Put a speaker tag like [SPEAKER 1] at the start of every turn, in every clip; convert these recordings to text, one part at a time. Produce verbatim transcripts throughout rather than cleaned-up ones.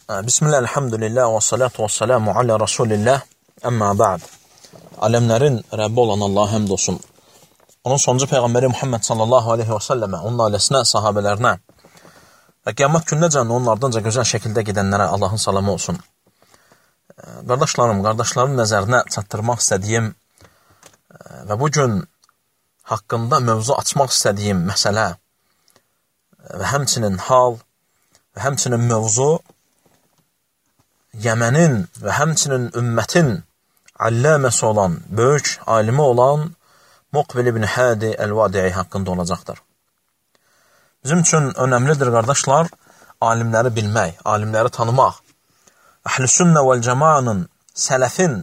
[SPEAKER 1] Bismillah, elhamdülillah və salatu və salamu alə Rasulillah, əmmə ba'd. Aləmlərin Rəbbi olan Allah həmd olsun. Onun sonuncu Peyğəmbəri Muhammed sallallahu aleyhi və səlləmə, onun ailəsinə, sahabələrinə və qiyamət gündəcən onun ardınca gözəl şəkildə gedənlərə Allahın salamı olsun. Qardaşlarım, qardaşların nəzərinə çatdırmaq istədiyim və bugün haqqında mövzu açmaq istədiyim məsələ və həmçinin hal və həmçinin mövzu Yəmənin və həmçinin ümmətin alləməsi olan, böyük alimi olan Muqbil ibn Hadi el-Vadi'i haqqında olacaqdır. Bizim üçün önəmlidir, qardaşlar, alimləri bilmək, alimləri tanımaq. Əhl-i sünnə vəl-cəmanın, sələfin,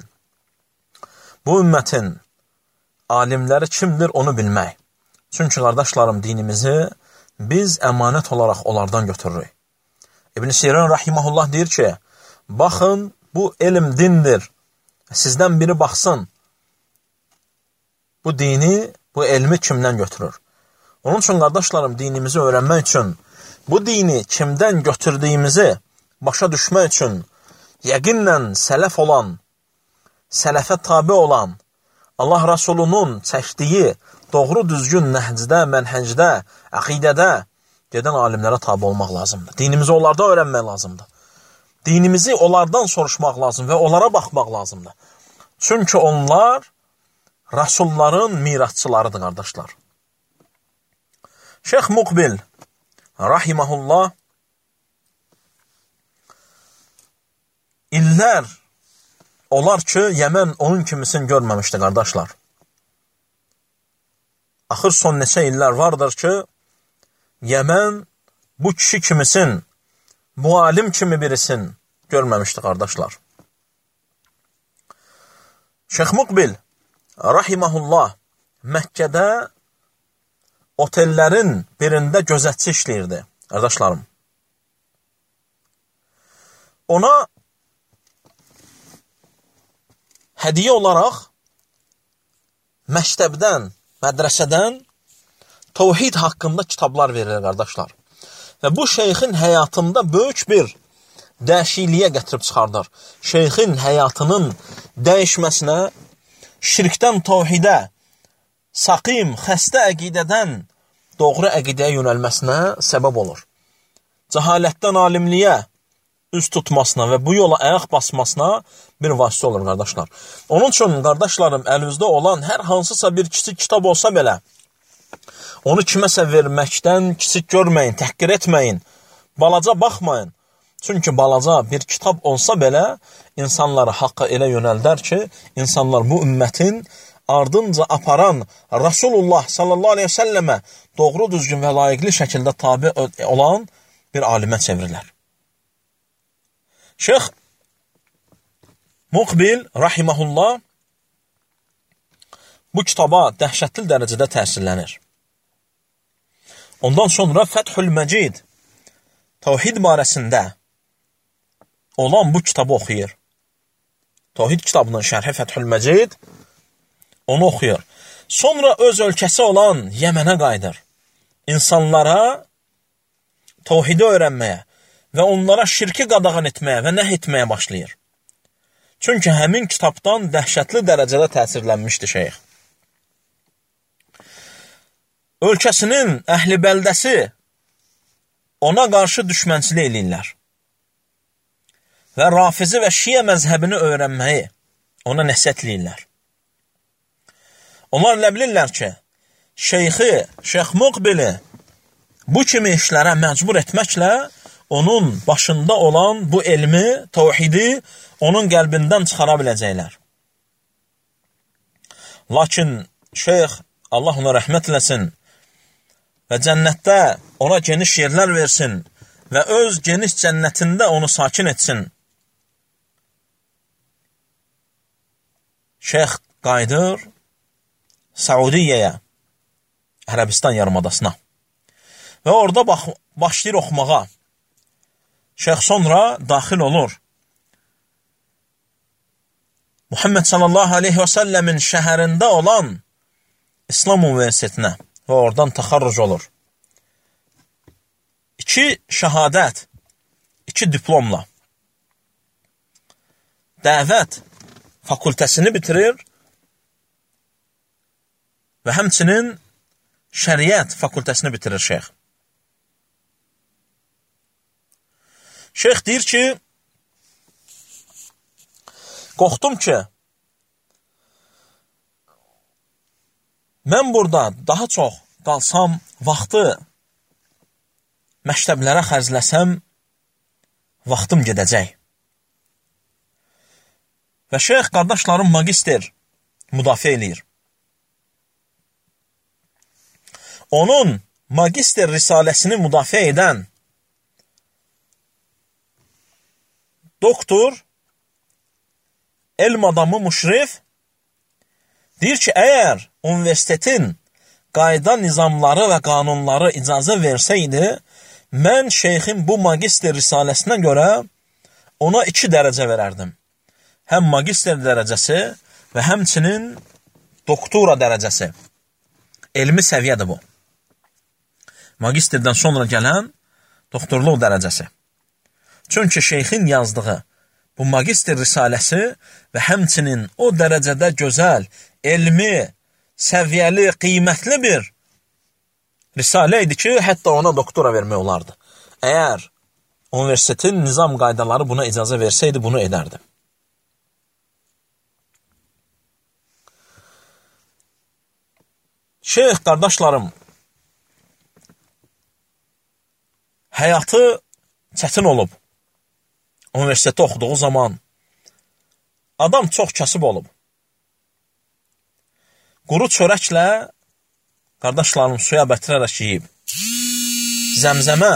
[SPEAKER 1] bu ümmətin alimləri kimdir, onu bilmək. Çünki, qardaşlarım, dinimizi biz əmanət olaraq onlardan götürürük. İbn Sirin rahiməhullah deyir ki, baxın, bu elm dindir. Sizdən biri baxsın, bu dini, bu elmi kimdən götürür? Onun üçün, qardaşlarım, dinimizi öyrənmək üçün, bu dini kimdən götürdüyümüzü başa düşmək üçün, yəqinlə sələf olan, sələfə tabi olan, Allah Rasulunun çəkdiyi doğru düzgün nəhcdə, mənhəcdə, əqidədə gedən alimlərə tabi olmaq lazımdır. Dinimizi onlardan öyrənmək lazımdır. Dinimizi onlardan soruşmaq lazım və onlara baxmaq lazımdır. Çünki onlar Rasulların mirasçılarıdır, qardaşlar. Şeyx Muqbil rahiməhullah illər olar ki, Yəmən onun kimisini görməmişdi, qardaşlar. Axır son neçə illər vardır ki, Yəmən bu kişi kimisin, bu alim kimi birisin görməmişdi, qardaşlar. Şeyx Muqbil rahiməhullah Məkkədə otellərin birində gözətçi işləyirdi, qardaşlarım. Ona hədiyə olaraq məktəbdən, mədrəsədən təvhid haqqında kitablar verilir, qardaşlar. Və bu şeyxin həyatında böyük bir dəyişikliyə gətirib çıxardır. Şeyxin həyatının dəyişməsinə, şirkdən təvhidə, saqim, xəstə əqidədən doğru əqidəyə yönəlməsinə səbəb olur. Cəhalətdən alimliyə üz tutmasına və bu yola ayaq basmasına bir vasitə olur, qardaşlar. Onun üçün, qardaşlarım, əlinizdə olan hər hansısa bir kiçik kitab olsa belə, onu kiməsə verməkdən kiçik görməyin, təhqir etməyin, balaca baxmayın. Çünki balaca bir kitab olsa belə, insanları haqqa elə yönəldər ki, insanlar bu ümmətin ardınca aparan Rasulullah sallallahu aleyhi ve səlləmə doğru düzgün və layiqli şəkildə tabi olan bir alimə çevirirlər. Şeyx Muqbil rahiməhullah bu kitaba dəhşətli dərəcədə təsirlənir. Ondan sonra Fəthül Məcid təvhid barəsində olan bu kitabı oxuyur. Təvhid kitabının şərhi Fəthül Məcid onu oxuyur. Sonra öz ölkəsi olan Yəmənə qayıdır. İnsanlara təvhidi öyrənməyə və onlara şirki qadağan etməyə və nəh etməyə başlayır. Çünki həmin kitabdan dəhşətli dərəcədə təsirlənmişdi şeyx. Ölkəsinin əhli bəldəsi ona qarşı düşmənçilik eləyirlər. Və Rafizi və Şiə məzhəbini öyrənməyi ona nəsihət eləyirlər. Onlar elə bilirlər ki, şeyxi, Şeyx Muqbili bu kimi işlərə məcbur etməklə onun başında olan bu elmi, təvhidi onun qəlbindən çıxara biləcəklər. Lakin şeyx, Allah ona rəhmət eləsin, və cənnətdə ona geniş yerlər versin və öz geniş cənnətində onu sakin etsin. Şeyx qayıdır Saudiyyəyə, Ərəbistan yarımadasına və orada bax, başlayır oxumağa. Şeyx sonra daxil olur. Muhammed sallallahu aleyhi və səlləmin şəhərində olan İslam Universitetinə və oradan təxarruc olur. İki şəhadət, iki diplomla dəvət fakültəsini bitirir və həmçinin şəriət fakültəsini bitirir şeyx. Şeyx deyir ki, qorxdum ki, mən burada daha çox qalsam, vaxtı məktəblərə xərcləsəm, vaxtım gedəcək. Və şeyx qardaşlarım magister müdafiə eləyir. Onun magister risaləsini müdafiə edən doktor, elm adamı Müşrif deyir ki, əgər universitetin qayda nizamları və qanunları icazə versəydi, mən şeyxin bu magister risaləsinə görə ona iki dərəcə verərdim. Həm magister dərəcəsi və həmçinin doktora dərəcəsi. Elmi səviyyədir bu. Magisterdən sonra gələn doktorluq dərəcəsi. Çünki şeyxin yazdığı bu magister risaləsi və həmçinin o dərəcədə gözəl, elmi, səviyyəli, qiymətli bir risalə idi ki, hətta ona doktora vermək olardı. Əgər universitetin nizam qaydaları buna icazə versəydi, bunu edərdi. Şeyx qardaşlarım, həyatı çətin olub. Universitetdə oxuduğu zaman adam çox kasıb olub. Quru çörəklə qardaşlarım suya bətirərək yiyib. Zəmzəmə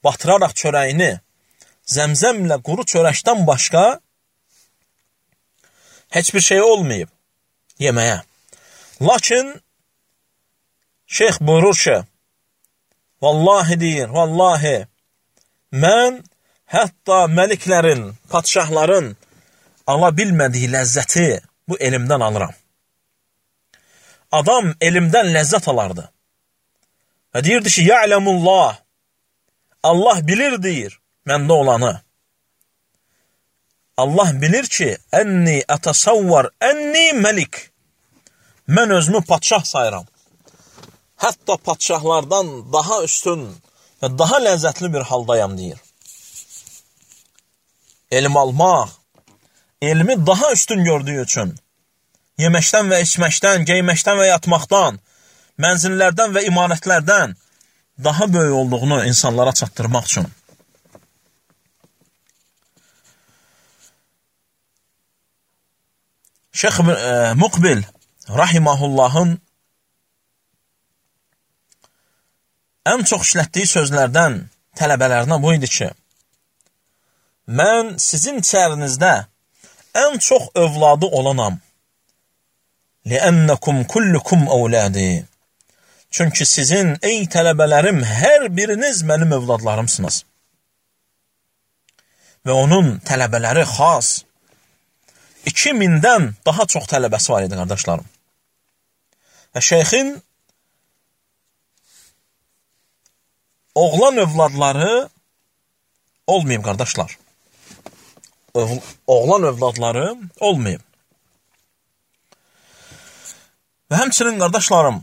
[SPEAKER 1] batıraraq çörəyini zəmzəmlə quru çörəkdən başqa heç bir şey olmayıb yeməyə. Lakin şeyx buyurur ki, vallahi deyir, vallahi mən hətta məliklərin, padşahların ala bilmədiyi ləzzəti bu elmdən alıram. Adam elmdən ləzzət alardı. Və deyirdi ki, ya'lemullah, Allah bilir deyir məndə olanı. Allah bilir ki, ənni ətasavvar, ənni məlik. Mən özümü padşah sayıram. Hətta padşahlardan daha üstün və daha ləzzətli bir haldayam deyir. Elm almaq, elmi daha üstün gördüyü üçün, yeməkdən və içməkdən, geyməkdən və yatmaqdan, mənzillərdən və imarətlərdən daha böyük olduğunu insanlara çatdırmaq üçün. Şeyx e, Muqbil rahimahullahın ən çox işlətdiyi sözlərdən tələbələrinə bu idi ki, mən sizin içərinizdə ən çox övladı olanam. لِأَنَّكُمْ كُلُّكُمْ أَوْلَادِي. Çünki sizin, ey tələbələrim, hər biriniz mənim övladlarımsınız. Və onun tələbələri xas iki mindən daha çox tələbəsi var idi, qardaşlarım. Və şeyxin oğlan övladları olmayıb, qardaşlar. Oğlan övladları olmayıb. Və həmçinin, qardaşlarım,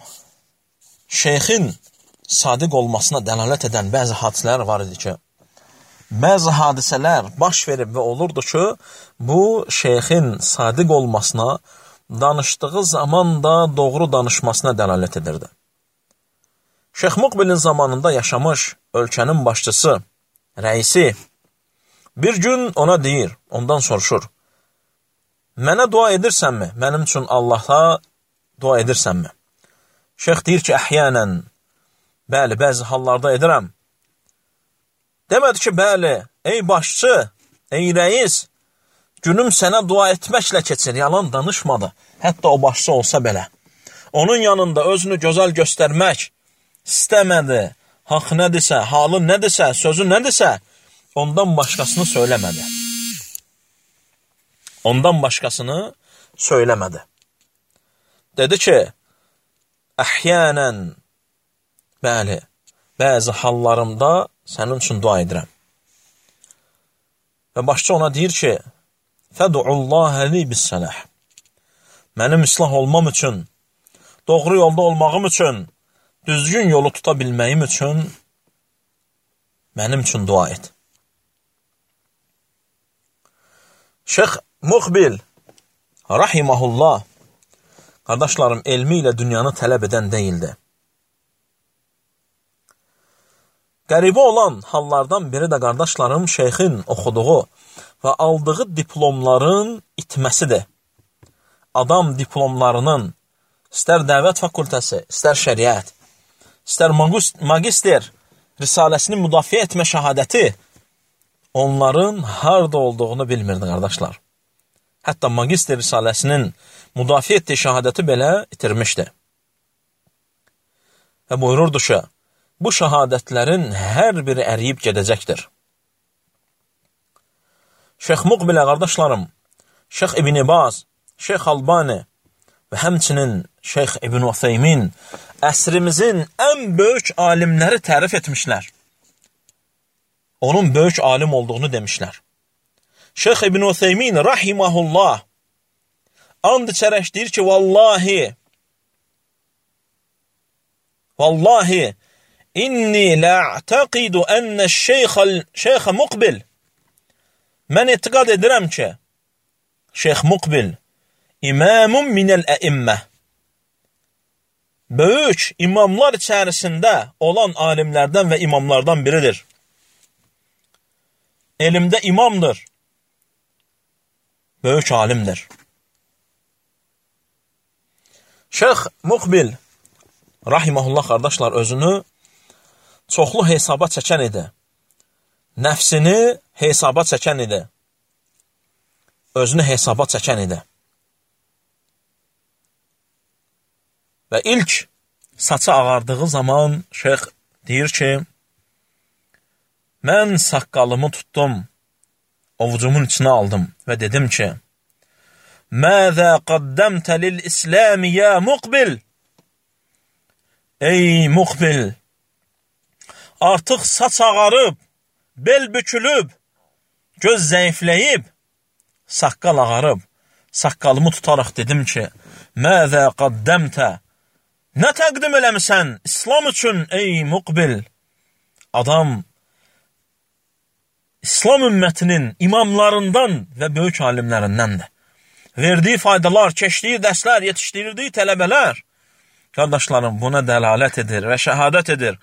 [SPEAKER 1] şeyxin sadiq olmasına dəlalət edən bəzi hadisələr var idi ki, bəzi hadisələr baş verib və olurdu ki, bu şeyxin sadiq olmasına, danışdığı zaman da doğru danışmasına dəlalət edirdi. Şeyx Muqbilin zamanında yaşamış ölkənin başçısı, rəisi, bir gün ona deyir, ondan soruşur, mənə dua edirsənmi? Mənim üçün Allah'a dua edirsənmi? Şeyx deyir ki, əhyənən, bəli, bəzi hallarda edirəm. Demədi ki, bəli, ey başçı, ey rəis, günüm sənə dua etməklə keçir, yalan danışmadı. Hətta o başçı olsa belə. Onun yanında özünü gözəl göstərmək istəmədi. Haqq nədirsə, halı nədirsə, sözü nədirsə, ondan başqasını söyləmədi. Ondan başqasını söyləmədi. Dedi ki, əhyənən, bəli, bəzi hallarımda sənin üçün dua edirəm. Və başçı ona deyir ki, fədu'ullaha li bis-salah. Mənim islah olmam üçün, doğru yolda olmağım üçün, düzgün yolu tuta bilməyim üçün mənim üçün dua et. Şeyx Muqbil rahiməhullah, qardaşlarım, elmi ilə dünyanı tələb edən deyildi. Qəribə olan hallardan biri də qardaşlarım şeyxin oxuduğu və aldığı diplomların itməsidir. Adam diplomlarının istər dəvət fakültəsi, istər şəriət, istər magister risaləsini müdafiə etmə şəhadəti onların harada olduğunu bilmirdi, qardaşlar. Hətta magister risaləsinin müdafiə etdiyi şəhadəti belə itirmişdi. Və buyururdu ki, bu şəhadətlərin hər biri əriyib gedəcəkdir. Şeyx Muqbilə, qardaşlarım, Şeyx İbn Baz, Şeyx Albani və həmçinin Şeyx İbn Uthaymin əsrimizin ən böyük alimləri tərif etmişlər. Onun böyük alim olduğunu demişlər. Şeyx İbn Uthaymin rahiməhullah and içərək deyir ki, vallahi vallahi inni la'taqidu enne şeyx Muqbil, mən etiqad edirəm ki, Şeyx Muqbil imamun minəl əimmə, böyük imamlar içərisində olan alimlərdən və imamlardan biridir. Elmdə imamdır, böyük alimdir. Şeyx Muqbil rahiməhullah, qardaşlar, özünü çoxlu hesaba çəkən idi. Nəfsini hesaba çəkən idi. Özünü hesaba çəkən idi. Və ilk saçı ağardığı zaman şeyx deyir ki, mən saqqalımı tutdum, ovucumun içine aldım və dedim ki, məzə qaddəmtə lil-İsləmi ya Muqbil? Ey Muqbil, artıq saç ağarıb, bel bükülüb, göz zəifləyib, saqqal ağarıb, saqqalımı tutaraq dedim ki, məzə qaddəmtə, nə təqdim eləmisən İslam üçün ey Muqbil? Adam İslam ümmətinin imamlarından və böyük alimlərindəndir. Verdiyi faydalar, keçdiyi dərslər, yetişdirdiyi tələbələr, qardaşlarım, buna dəlalət edir və şəhadət edir.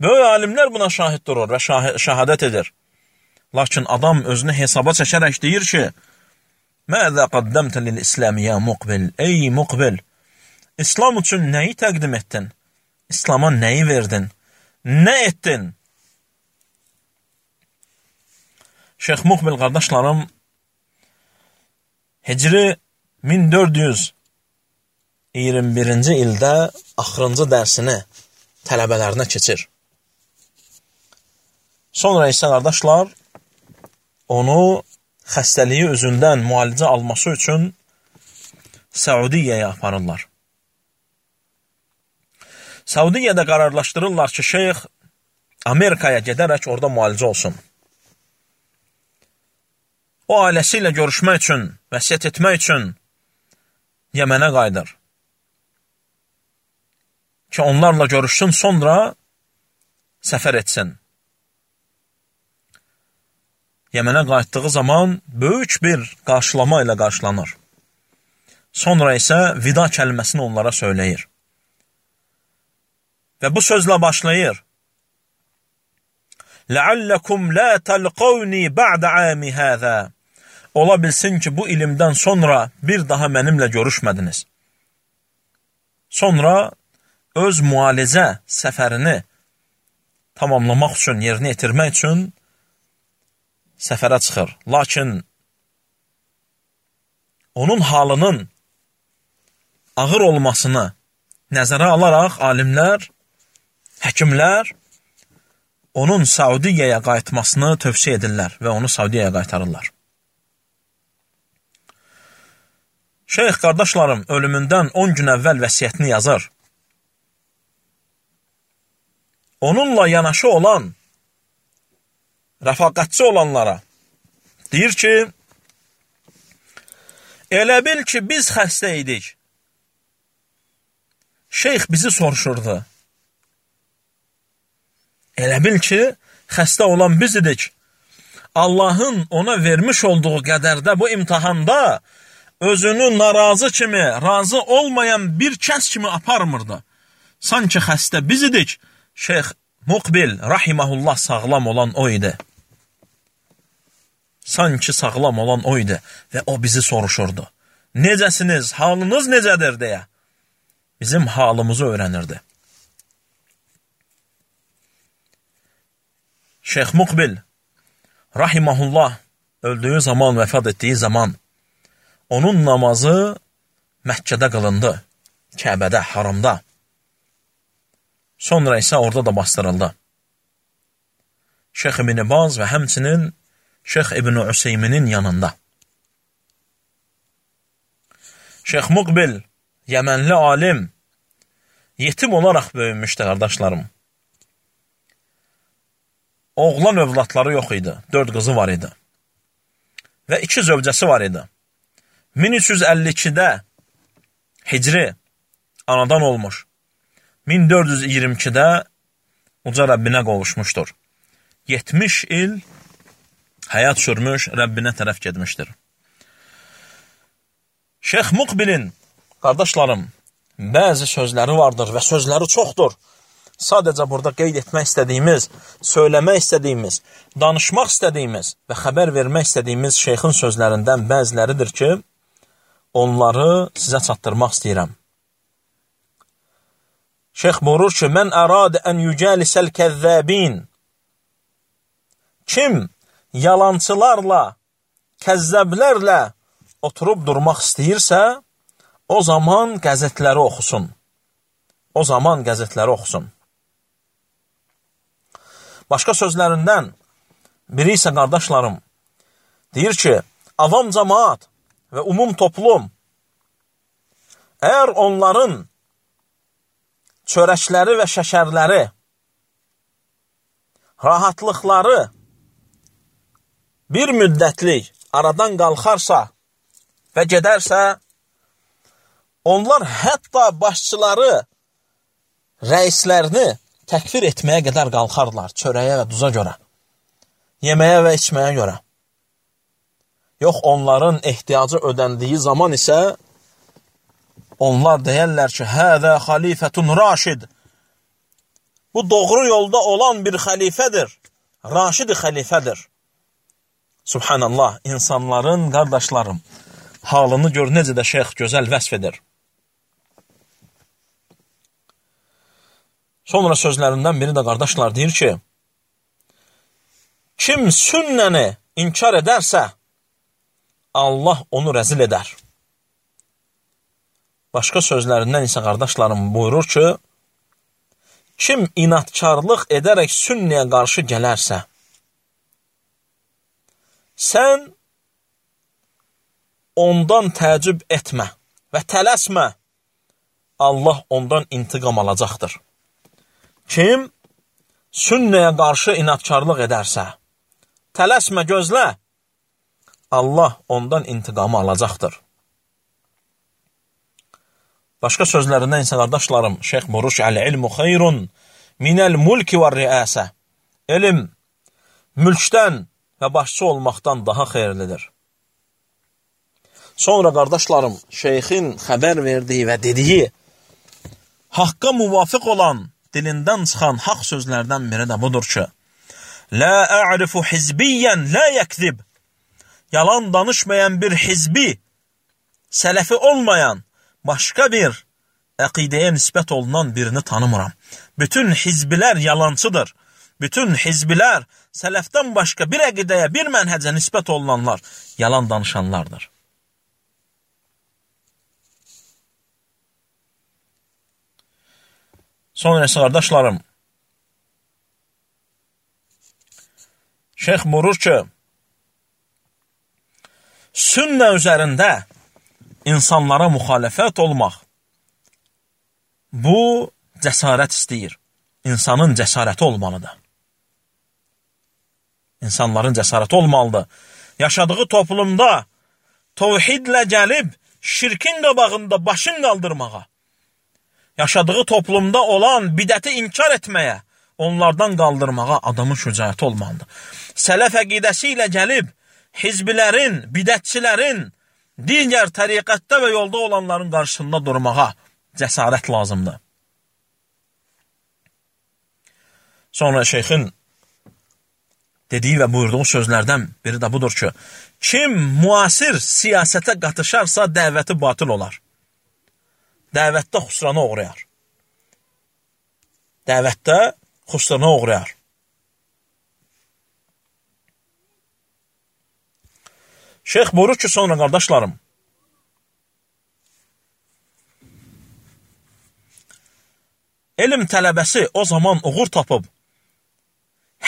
[SPEAKER 1] Böyük alimlər buna şahid durur və şəhadət edir. Lakin adam özünü hesaba çəkərək deyir ki, məzə qaddəmtə lil-İsləmi ya Muqbil? Ey Muqbil, İslam üçün nəyi təqdim etdin? İslama nəyi verdin? Nə etdin? Şeyx Muqbil, qardaşlarım, Hicri min dörd yüz iyirmi birinci ildə axırıncı dərsini tələbələrinə keçir. Sonra isə, qardaşlar, onu xəstəliyi üzündən müalicə alması üçün Səudiyyəyə aparırlar. Səudiyyədə qararlaşdırırlar ki, şeyx Amerikaya gedərək orada müalicə olsun. O ailəsi ilə görüşmək üçün, vəsiyyət etmək üçün Yəmənə qayıdır. Ki, onlarla görüşsün, sonra səfər etsin. Yəmənə qayıtdığı zaman böyük bir qarşılama ilə qarşılanır. Sonra isə vida kəlməsini onlara söyləyir. Və bu sözlə başlayır. لَعَلَّكُمْ لَا تَلْقَوْنِي بَعْدَ عَامِ هَذَا. Ola bilsin ki, bu ilimdən sonra bir daha mənimlə görüşmədiniz. Sonra öz müalicə səfərini tamamlamaq üçün, yerinə yetirmək üçün səfərə çıxır. Lakin onun halının ağır olmasını nəzərə alaraq alimlər, həkimlər onun Saudiyyəyə qayıtmasını tövsiyə edirlər və onu Saudiyyəyə qaytarırlar. Şeyx, qardaşlarım, ölümündən on gün əvvəl vəsiyyətini yazır. Onunla yanaşı olan, rəfaqətçi olanlara, Deyir ki, elə bil ki, biz xəstə idik. Şeyx bizi soruşurdu. Elə bil ki, xəstə olan biz idik. Allahın ona vermiş olduğu qədərdə bu imtihanda özünü narazı kimi, razı olmayan bir kəs kimi aparmırdı. Sanki xəstə biz idik. Şeyx Muqbil, rahiməhullah, sağlam olan o idi. Sanki sağlam olan o idi və o bizi soruşurdu. Necəsiniz, halınız necədir deyə. Bizim halımızı öyrənirdi. Şeyx Muqbil, rahiməhullah, öldüyü zaman, vəfat etdiyi zaman onun namazı Məkkədə qılındı, Kəbədə, haramda. Sonra isə orada da bastırıldı. Şeyx İbn Baz və həmçinin Şeyx İbn Üseyminin yanında. Şeyx Muqbil, Yəmənli alim, yetim olaraq böyümüşdü, qardaşlarım. Oğlan övladları yox idi, dörd qızı var idi. Və iki zövcəsi var idi. min üç yüz əlli ikidə Hicri anadan olmuş. min dörd yüz iyirmi ikidə uca Rəbbinə qovuşmuşdur. yetmiş il həyat sürmüş, Rəbbinə tərəf getmişdir. Şeyx Muqbilin, qardaşlarım, bəzi sözləri vardır və sözləri çoxdur. Sadəcə burada qeyd etmək istədiyimiz, söyləmək istədiyimiz, danışmaq istədiyimiz və xəbər vermək istədiyimiz şeyxin sözlərindən bəziləridir ki, onları sizə çatdırmaq istəyirəm. Şeyx buyurur ki, mən ərad ən yücəlisəl kəzzəbin. Kim yalancılarla, kəzzəblərlə oturub durmaq istəyirsə, o zaman qəzetləri oxusun. O zaman qəzetləri oxusun. Başqa sözlərindən biri isə, qardaşlarım, deyir ki, avam cəmaat və umum toplum, əgər onların çörəkləri və şəkərləri, rahatlıqları bir müddətlik aradan qalxarsa və gedərsə, onlar hətta başçıları, rəislərini təkfir etməyə qədər qalxarlar, çörəyə və duza görə, yeməyə və içməyə görə. Yox, onların ehtiyacı ödəndiyi zaman isə onlar deyərlər ki, həzə xalifətun raşid. Bu doğru yolda olan bir xəlifədir, raşid xəlifədir. Subhanallah, insanların, qardaşlarım, halını gör, necə də şeyx gözəl vəsf edir. Sonra sözlərindən biri də, qardaşlar, deyir ki, kim sünnəni inkar edərsə, Allah onu rəzil edər. Başqa sözlərindən isə, qardaşlarım, buyurur ki, kim inatkarlıq edərək sünniyə qarşı gələrsə, sən ondan təəccüb etmə və tələsmə, Allah ondan intiqam alacaqdır. Kim sünnəyə qarşı inatkarlıq edərsə, tələsmə, gözlə, Allah ondan intiqamı alacaqdır. Başqa sözlərindən isə, qardaşlarım, şeyx buyurur ki, əl-ilmu xeyrun minəl mulki və riəsə. Elm mülkdən və başçı olmaqdan daha xeyirlidir. Sonra, qardaşlarım, şeyxin xəbər verdiyi və dediyi, haqqa müvafiq olan, dilindən çıxan haqq sözlərdən biri də budur ki, lə ə'rifu hizbiyyən lə yəkzib. Yalan danışmayan bir hizbi, sələfi olmayan, başqa bir əqidəyə nisbət olunan birini tanımıram. Bütün hizbilər yalancıdır. Bütün hizbilər sələfdən başqa bir əqidəyə, bir mənhəcə nisbət olunanlar yalan danışanlardır. Sonra isə, qardaşlarım, şeyx buyurur ki, sünnə üzərində insanlara müxalifət olmaq, bu cəsarət istəyir. İnsanın cəsarəti olmalıdır. İnsanların cəsarəti olmalıdır. yaşadığı toplumda təvhidlə gəlib şirkin qabağında başın qaldırmağa, yaşadığı toplumda olan bidəti inkar etməyə, onlardan qaldırmağa adamın şücaəti olmalıdır. Sələf əqidəsi ilə gəlib hizbilərin, bidətçilərin, digər təriqətdə və yolda olanların qarşısında durmağa cəsarət lazımdır. Sonra şeyxin dediyi və buyurduğu sözlərdən biri də budur ki, kim müasir siyasətə qatışarsa dəvəti batıl olar. Dəvətdə xüsrana uğrayar. Dəvətdə xüsrana uğrayar. Şeyx buyurur ki, sonra qardaşlarım, elm tələbəsi o zaman uğur tapıb,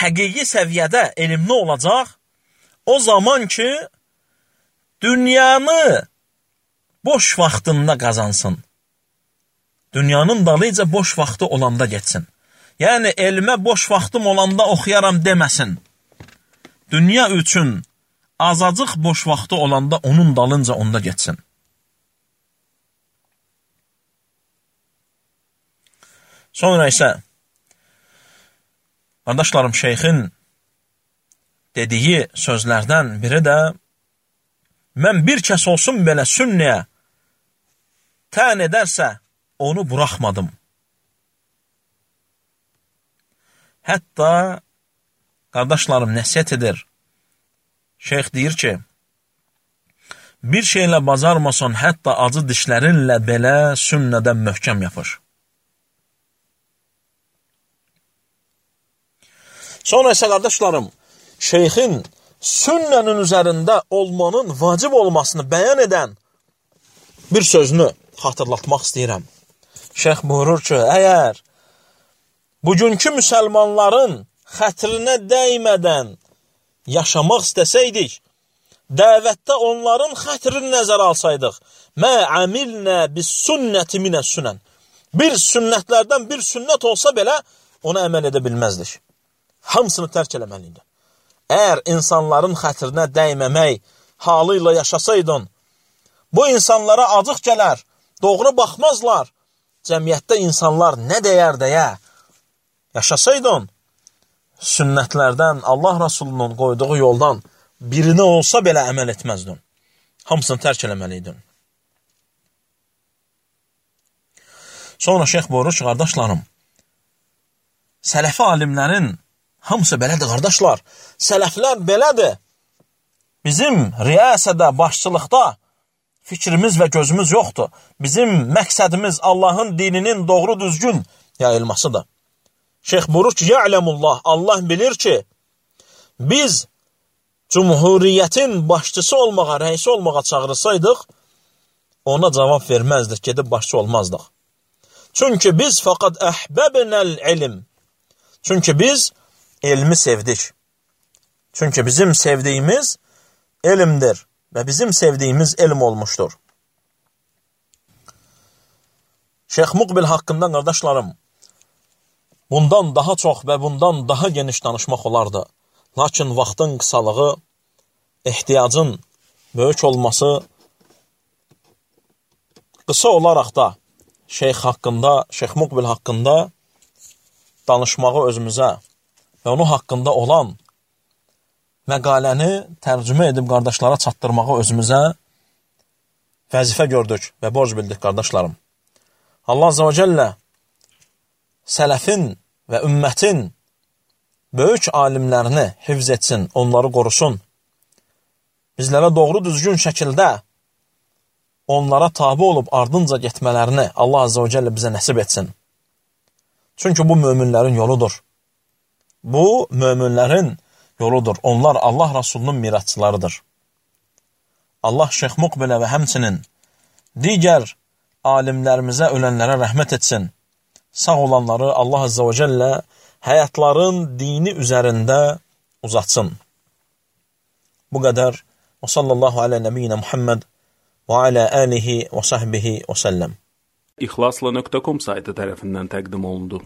[SPEAKER 1] həqiqi səviyyədə elmli olacaq, o zaman ki, dünyanı boş vaxtında qazansın. Dünyanın dalıca boş vaxtı olanda getsin. Yəni, elmə boş vaxtım olanda oxuyaram deməsin. Dünya üçün azacıq boş vaxtı olanda onun dalınca onda getsin. Sonra isə, qardaşlarım, şeyxin dediyi sözlərdən biri də, mən bir kəs olsun belə sünnəyə tən edərsə, onu buraxmadım. Hətta, qardaşlarım, nəsiyyət edir. Şeyx deyir ki, bir şeylə bacarmasan, hətta acı dişlərinlə belə sünnədən möhkəm yapış. Sonra isə, qardaşlarım, şeyxin sünnənin üzərində olmanın vacib olmasını bəyan edən bir sözünü xatırlatmaq istəyirəm. Şeyx buyurur ki, əgər bugünkü müsəlmanların xətrinə dəymədən yaşamaq istəsəydik, dəvətdə onların xətrini nəzərə alsaydıq, mə əmilnə bis sünnəti minə sünən. Bir sünnətlərdən bir sünnət olsa belə, ona əməl edə bilməzdik. Hamısını tərk eləməliydi. Əgər insanların xətrinə dəyməmək halı ilə yaşasaydın, bu insanlara acıq gələr, doğru baxmazlar, cəmiyyətdə insanlar nə deyər deyə yaşasaydın, sünnətlərdən, Allah Rasulunun qoyduğu yoldan birini olsa belə əməl etməzdin. Hamısını tərk eləməliydin. Sonra şeyx buyurur ki, qardaşlarım, sələfi alimlərin hamısı belədir, qardaşlar. Sələflər belədir. Bizim riyasədə, başçılıqda fikrimiz və gözümüz yoxdur. Bizim məqsədimiz Allahın dininin doğru düzgün yayılmasıdır. Şeyx buyurur ki, ya'lemullah, Allah bilir ki, biz cumhuriyyətin başçısı olmağa, rəisi olmağa çağırsaydıq, ona cavab verməzdik, gedib başçı olmazdıq. Çünki biz fəqad əhbəbnəl ilm. Çünki biz elmi sevdik. Çünki bizim sevdiyimiz elmdir və bizim sevdiyimiz elm olmuşdur. Şeyx Muqbil haqqında, qardaşlarım, bundan daha çox və bundan daha geniş danışmaq olardı. Lakin vaxtın qısalığı, ehtiyacın böyük olması, qısa olaraq da şeyx haqqında, Şeyx Muqbil haqqında danışmağı özümüzə və onun haqqında olan məqaləni tərcümə edib qardaşlara çatdırmağı özümüzə vəzifə gördük və borc bildik, qardaşlarım. Allah Azze və Cəllə sələfin və ümmətin böyük alimlərini hifz etsin, onları qorusun. Bizlərə doğru düzgün şəkildə onlara tabi olub ardınca getmələrini Allah Azze və Cəllə bizə nəsib etsin. Çünki bu möminlərin yoludur. Bu möminlərin yoludur. Onlar Allah Rasulunun mirasçılarıdır. Allah Şeyx Muqbilə və həmçinin digər alimlərimizə, ölənlərə rəhmət etsin. Sağ olanları Allah Azze və Cəllə həyatların dini üzərində uzatsın. Bu qədər. Və sallallahu alə nəbiyyina Muhammed və alə alihi və sahbihi və səlləm.
[SPEAKER 2] İxlasla nöqtə com saytı tərəfindən təqdim olundu.